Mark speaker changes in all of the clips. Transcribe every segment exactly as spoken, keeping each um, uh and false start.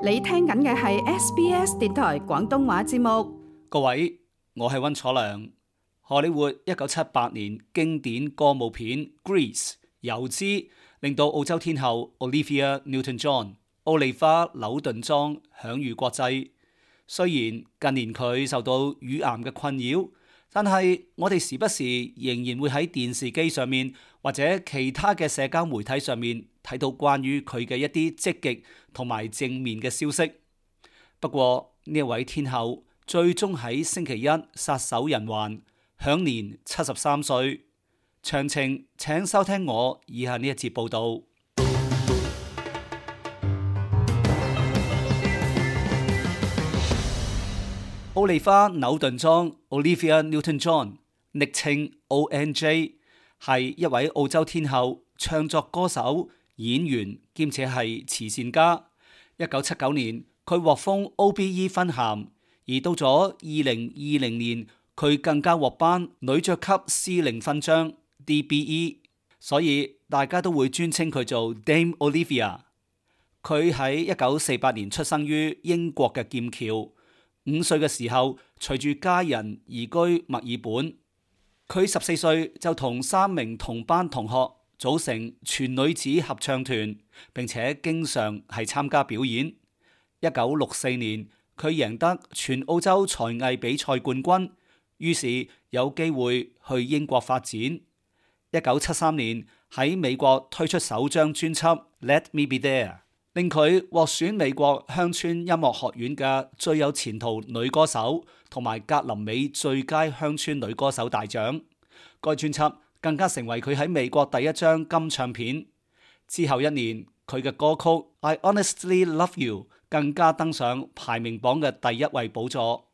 Speaker 1: 你聽緊嘅係 S B S 電台廣東話節目。
Speaker 2: 各位，我係溫楚良。荷里活一九七八年經典歌舞片《Grease》油脂令到澳洲天后 Olivia Newton-John 奧利花紐頓莊享譽國際。雖然近年佢受到乳癌嘅困擾，但係我哋時不時仍然會喺電視機上面或者其他嘅社交媒體上面睇到關於佢嘅一啲積極同埋正面嘅消息。不過呢一位天后最終喺星期一撒手人寰，享年七十三歲。詳情請收聽我以下呢一節報道。奧利花紐頓莊 Olivia Newton-John 昵稱 O N J 係一位澳洲天后、唱作歌手、演員兼且係慈善家。一九七九年佢獲封 O B E 勳銜，而到咗二零二零年佢更加獲頒女爵級司令勳章 D B E， 所以大家都會尊稱佢做 Dame Olivia。佢喺一九四八年出生於英國嘅劍橋。五歲嘅時候，隨住家人移居墨爾本。佢十四歲就同三名同班同學組成全女子合唱團，並且經常係參加表演。一九六四年，佢贏得全澳洲才藝比賽冠軍，於是有機會去英國發展。一九七三年喺美國推出首張專輯《Let Me Be There》。令佢獲選美國鄉村音樂學院嘅最有前途女歌手同埋格林美最佳鄉村女歌手大獎。該專輯更加成為佢喺美國第一張金唱片。之後一年，佢嘅歌曲《I Honestly Love You》更加登上排名榜嘅第一位寶座。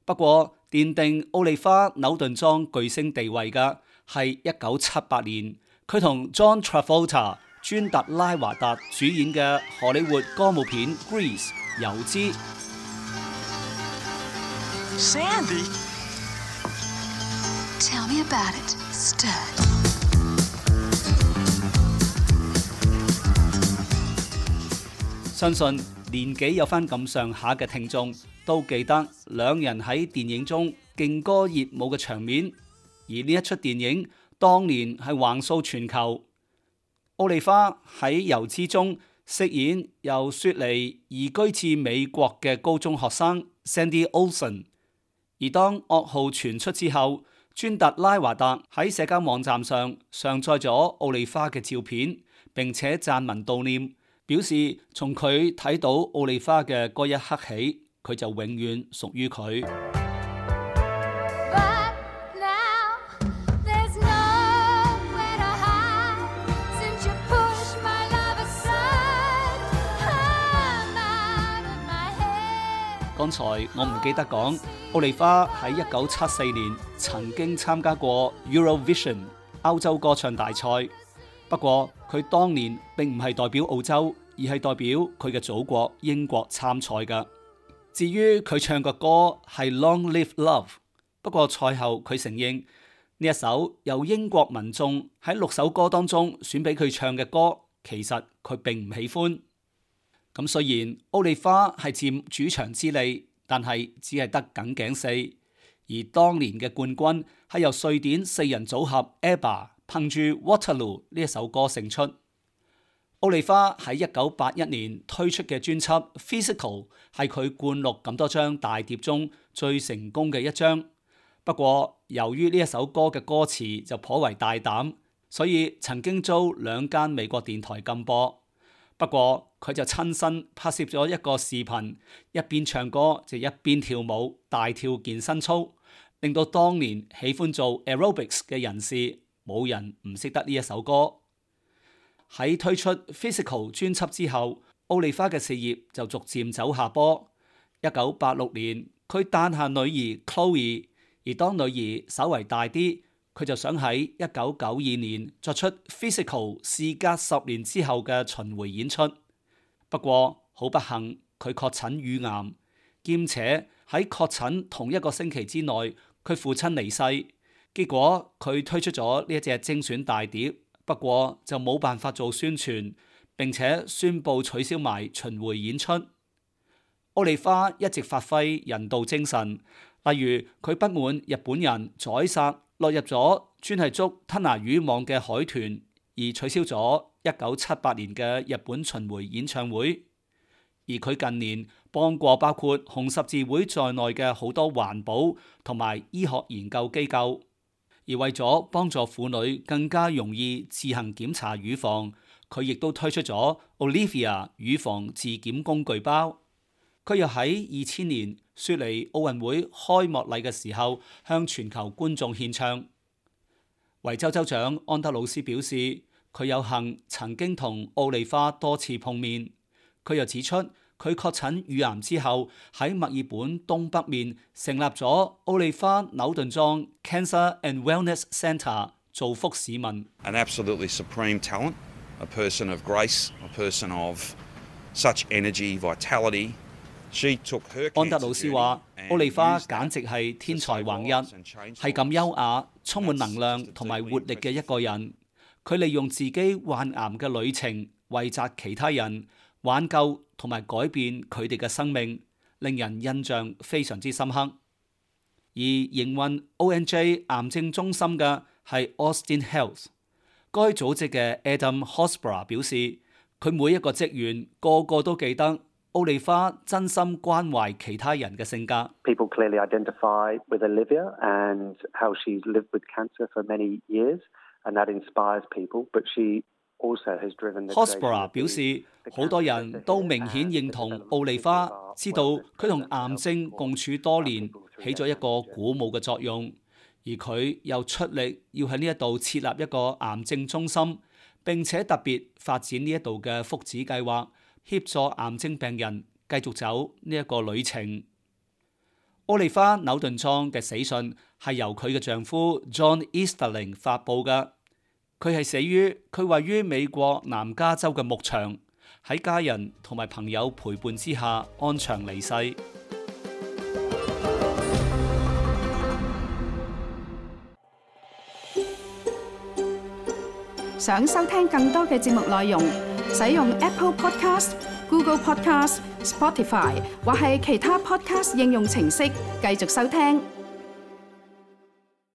Speaker 2: 不過，奠定奧利花紐頓莊巨星地位嘅係一九七八年，佢同 John Travolta尊特拉華達主演嘅荷里活歌舞片《Grease》油脂。
Speaker 3: Sandy, tell me about it, stud.
Speaker 2: 相信年紀有翻咁上下嘅聽眾都記得兩人喺電影中勁歌熱舞嘅場面，而呢一出電影當年係橫掃全球。奧利花喺油脂中飾演由雪梨移居至美國嘅高中學生 Sandy Olsen， 而當噩耗傳出之後，尊特拉華達喺社交網站上上載咗奧利花嘅照片，並且撰文悼念，表示從佢睇到奧利花嘅嗰一刻起，佢就永遠屬於佢。剛才我唔記得講，奧利花喺一九七四年曾經參加過 Eurovision 歐洲歌唱大賽，不過佢當年並唔係代表澳洲，而係代表佢嘅祖國英國參賽㗎。至於佢唱嘅歌係 Long Live Love， 不過賽後佢承認呢一首由英國民眾喺六首歌當中選俾佢唱嘅歌，其實佢並唔喜歡。咁雖然奧利花係佔主場之利，但係只係得僅僅四，而當年嘅冠軍係由瑞典四人組合 ABBA 憑住 Waterloo 呢一首歌勝出。奧利花喺一九八一年推出嘅專輯 Physical 係佢灌錄咁多張大碟中最成功嘅一張。不過由於呢一首歌嘅歌詞就頗為大膽，所以曾經遭兩間美國電台禁播。不過佢就親身拍攝咗一個視頻，一邊唱歌就一邊跳舞，大跳健身操，令到當年喜歡做 aerobics 嘅人士冇人唔識得呢一首歌。喺推出 Physical 專輯之後，奧利花嘅事業就逐漸走下坡。一九八六年，佢誕下女兒 Chloe， 而當女兒稍為大啲，佢就想喺一九九二年作出 Physical 事隔十年之後嘅巡迴演出。不過好不幸，佢確診乳癌，兼且喺確診同一個星期之內，佢父親離世。結果佢推出咗呢一隻精選大碟，不過就冇辦法做宣傳，並且宣布取消埋巡迴演出。奧利花一直發揮人道精神，例如佢不滿日本人宰殺落入咗專係捉吞拿魚網嘅海豚，而取消咗一九七八年嘅日本巡迴演唱會。而佢近年幫過包括紅十字會在內嘅好多環保同埋醫學研究機構，而為咗幫助婦女更加容易自行檢查乳房，佢亦都推出咗 Olivia 乳房自檢工具包。佢又喺二千年雪梨奧運會開幕禮嘅時候向全球觀眾獻唱。維州州長安德魯斯表示，佢有幸曾經同奧利花多次碰面。佢又指出，佢確診乳癌之後喺墨爾本東北面成立咗奧利花紐頓莊 Cancer and Wellness Centre， 造福市民。
Speaker 4: An absolutely supreme talent, a person of grace, a person of such energy, vitality.
Speaker 2: 安德魯斯話：奧利花簡直係天才橫溢，係咁優雅、充滿能量同埋活力嘅一個人。佢利用自己患癌嘅旅程，惠澤其他人，挽救同埋改變佢哋嘅生命，令人印象非常之深刻。而營運 O N J 癌症中心嘅係 Austin Health， 該組織嘅 Adam Horsburgh 表示，佢每一個職員個個都記得奧利花真心關懷其他人嘅性格。
Speaker 5: People clearly identify with Olivia and how she's lived with cancer for many years, and that inspires people. But she also has driven the
Speaker 2: Horsburgh 表示，好多人都明顯認同奧利花，知道佢同癌症共處多年，起咗一個鼓舞嘅作用。而佢又出力要喺呢一度設立一個癌症中心，並且特別發展呢一度嘅福祉計劃，協助癌症病人繼續走呢一個旅程。奧利花紐頓莊嘅死訊係由佢嘅丈夫 John Easterling 發布嘅。佢係死於佢位於美國南加州嘅牧場，喺家人同埋朋友陪伴之下安詳離世。
Speaker 1: 想收聽更多嘅節目內容，使用 Apple Podcast、Google Podcast、Spotify 或係其他 Podcast 應用程式繼續收聽。